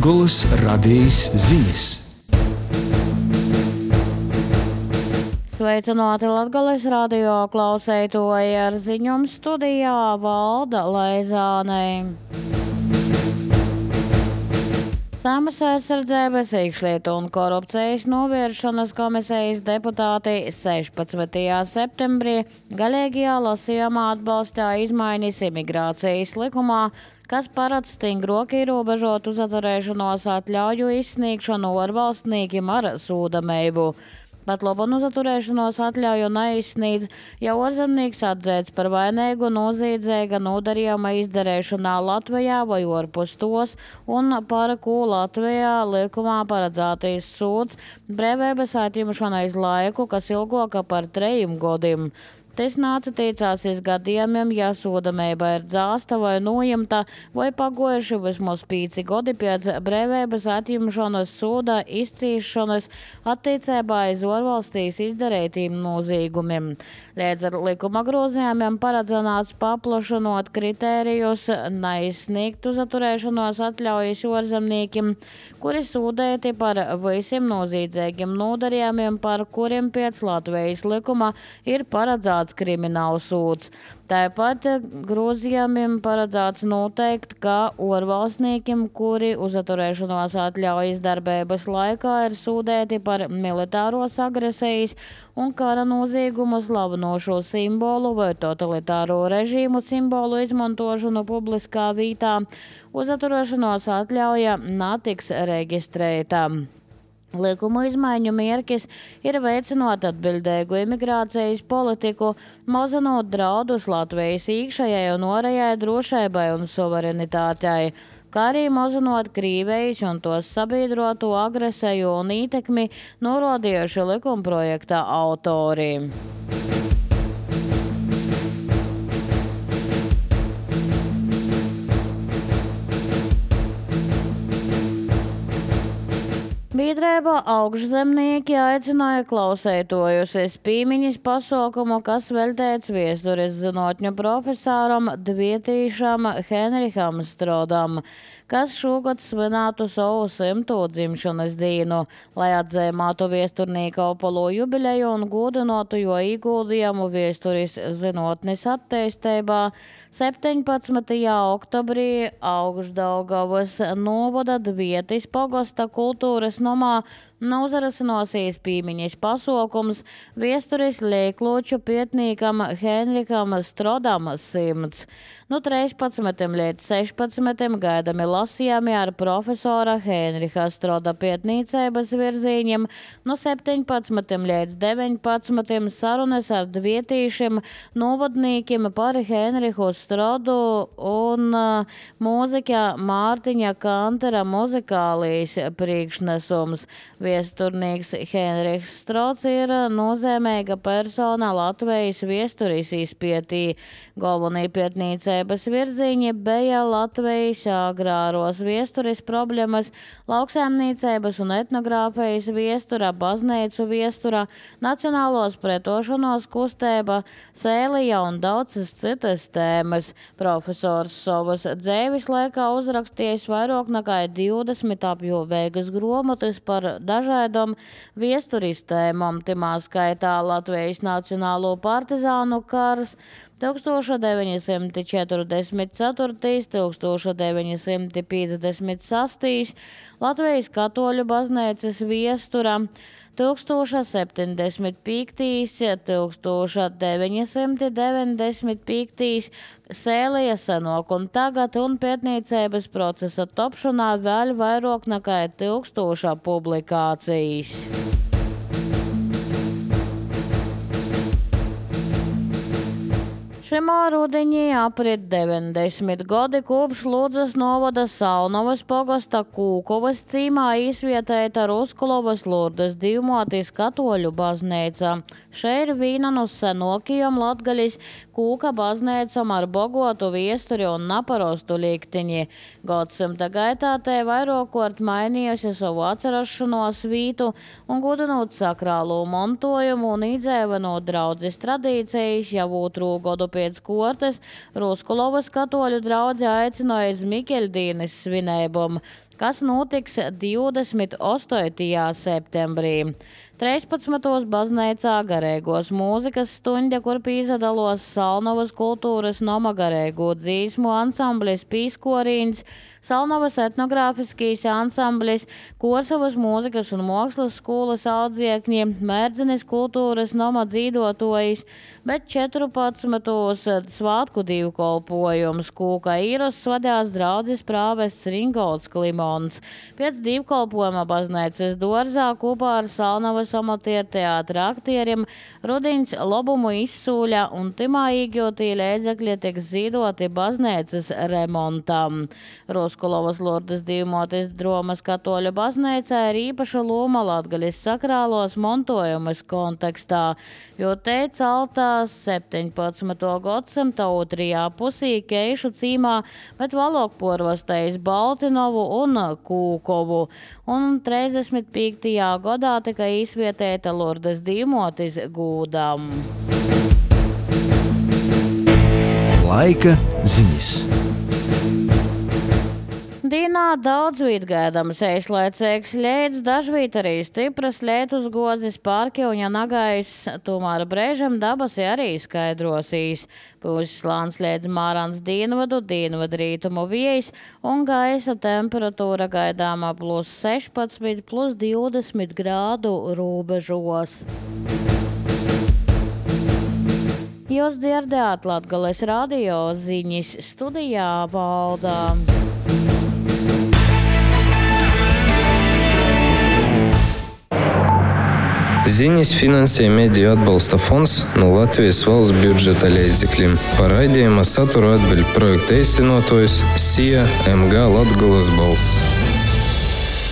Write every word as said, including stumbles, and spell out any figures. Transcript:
Latgolas radijas ziņas. Sveicināti Latgolas radio klausētoji, ar ziņām studijā Valda Leizānei. Saeimas aizsardzības, iekšlietu un korupcijas novēršanas komisijas deputāti sešpadsmitajā septembrī galīgajā lasījumā atbalstīja izmaiņas imigrācijas likumā, kas paredz stingrāk ierobežot uzturēšanos atļauju izsniegšanu ārvalstniekiem ar sūdamību. Pat labam uzturēšanos atļauju neizsniedz, ja ārzemnieks atzīts par vainīgu noziedzīga nodarījuma izdarīšanā Latvijā vai ārpus tos, un par ko Latvijā likumā paredzētais sods brīvības atņemšana iz laiku, kas ilgāka par trejiem gadiem. Tas nāca teicāsies gadījumiem, ja sūdamība ir dzāsta vai nojimta, vai pagojuši vismaz pīci gadi pēc brīvības atņemšanas soda izcīšanas attiecībā iz ārvalstīs izdarītiem noziegumiem. Līdz ar likuma grozījumiem paredzēts paplašinot kritērijus neizsniegt uzturēšanos atļaujas ārzemniekiem, kuri sūdēti par visiem noziedzīgiem nodarījumiem, par kuriem pēc Latvijas likuma ir paredzēts krimināla sūds. Tāpat grozījumiem paredzēts noteikt, ka ārvalstniekiem, kuri uzturēšanos atļaujas darbības laikā ir sūdēti par militāros agresijas un kara noziegumu slavinošo simbolu vai totalitāro režīmu simbolu izmantošanu publiskā vietā, uzturēšanos atļauja netiks reģistrēta. Likuma izmaiņu mērķis ir veicinot atbildīgu imigrācijas politiku, mazinot draudus Latvijas iekšējai un ārējai drošībai un suverenitātei, kā arī mazinot Krievijas un tos sabiedroto agresiju un ietekmi, norādījuši likumprojekta autori. Biedrība augšzemnieki aicināja klausētojus uz piemiņas pasaukumu, kas veltīts vēstures zinātņu profesoram Dvietīšam Henriham Strodam, kas šogad svinētu savu simto dzimšanas dienu, lai atzīmētu vēsturnieka opolo jubileju un godinātu jo ieguldījumu vēstures zinātnes attīstībā. septiņpadsmitajā oktobrī Augšdaugavas novada Dvietis pagasta kultūras nomā nozarasinosies piemiņas pasaukums vēstures liekloču pietnīkam Henrikam Strodam simts. No trīspadsmitajā līdz sešpadsmitajam gaidami lasījumi ar profesora Henriha Stroda pietnīcības virzīņiem, no septiņpadsmitajam līdz deviņpadsmitajam sarunas ar dvietīšiem novadnīkiem par Henrihu Strodu un uh, mūzika Mārtiņa Kantera muzikālijas priekšnesums. Viesturnīgs Henriks Strods ir nozīmīga persona Latvijas viesturis izpētī. Galvenie pietnīcības virziņi bija Latvijas agrāros viesturis problēmas, lauksaimniecības un etnogrāfijas viestura, baznīcu viestura, nacionālos pretošanos kustība, sēlija un daudzas citas tēmas. Profesors savas dzīves laikā uzrakstījis vairāk nekā divdesmit apjomīgas grāmatas par dažādām viesturistēmām, timā skaitā Latvijas Nacionālo partizānu kars tūkstoš deviņi simti četrdesmit ceturtais līdz tūkstoš deviņi simti piecdesmit sestais, Latvijas katoļu baznīcas viestura tūkstoš septiņdesmit piektais līdz tūkstoš deviņi simti deviņdesmit piektais, sēlija senāk un tagad un pētniecības procesa topšanā vēl vairāk nekā tūkstoša publikācijas. Šimā rudenī aprit deviņdesmit gadi kopš Ludzas novada Salnovas pogasta Kūkovas cīmā izvietēta Ruskulovas Lurdes divmotis katoļu baznīca. Še ir vīna no senokajām Latgalis Kūka baznēcam ar bogotu viesturi un naparostu liktiņi. Gadsimta gaitā te vairokort mainījusi savu atcerašanos vītu un gudinot sakrālo montojumu un idzēvenot draudzes tradīcijas, jau otru godu pēc kortes Ruskulovas katoļu draudze aicināja uz Mikeļdīnes svinēbumu, kas notiks divdesmit astotajā septembrī. trīspadsmitajā baznīcā garīgos mūzikas stuņa, kur pīzadalos Salnovas kultūras noma garīgo dzīsmu ansamblis Pīskorīns, Salnovas etnogrāfiskīs ansamblis, Korsavas mūzikas un mākslas skolas audziekņi, Mērdzinis kultūras noma dzīdotojis, bet četrpadsmitajā svātku divkolpojums Kūka īros svadās draudzes prāvests Ringolds Klimons. Pēc divkolpojuma baznīcas dorzā kopā ar Salnovas amatieru teātra aktierim Rudiņš lobumu izsūļa un timā īgjotie līdzekļi tiks zīdoti baznīcas remontam. Ruskulovas Lurdas divmotis Dromas katoļu baznīcā ir īpaša loma Latgaļas sakrālos montojumas kontekstā, jo te celtās septiņpadsmitā gadsimta otrajā pusī Keišu cīmā, bet valokporvastējis Baltinovu un Kūkovu. Un trīsdesmit piektajā gadā tika izvietēta Lurdas divmotis gūdam. Laika ziņas. Dīnā daudz vīt gaidams eislaicīgs ļēdz, dažvīt arī stipras lietus gozis pārkļuņa nagais, tomēr brēžam dabasi arī skaidrosīs. Pūs slāns ļēdz mārans dienvadu, dienvadu rītumu viejas un gaisa temperatūra gaidāmā plus sešpadsmit, plus divdesmit grādu rūbežos. Jūs dzirdējāt Latgales radio ziņas, studijā Valdā. Ziņas finansē Mediju atbalsta fonds no Latvijas valsts budžeta līdzekļiem. Par raidījuma saturu atbild projekta īstenotājs S I A M G Latgales balss.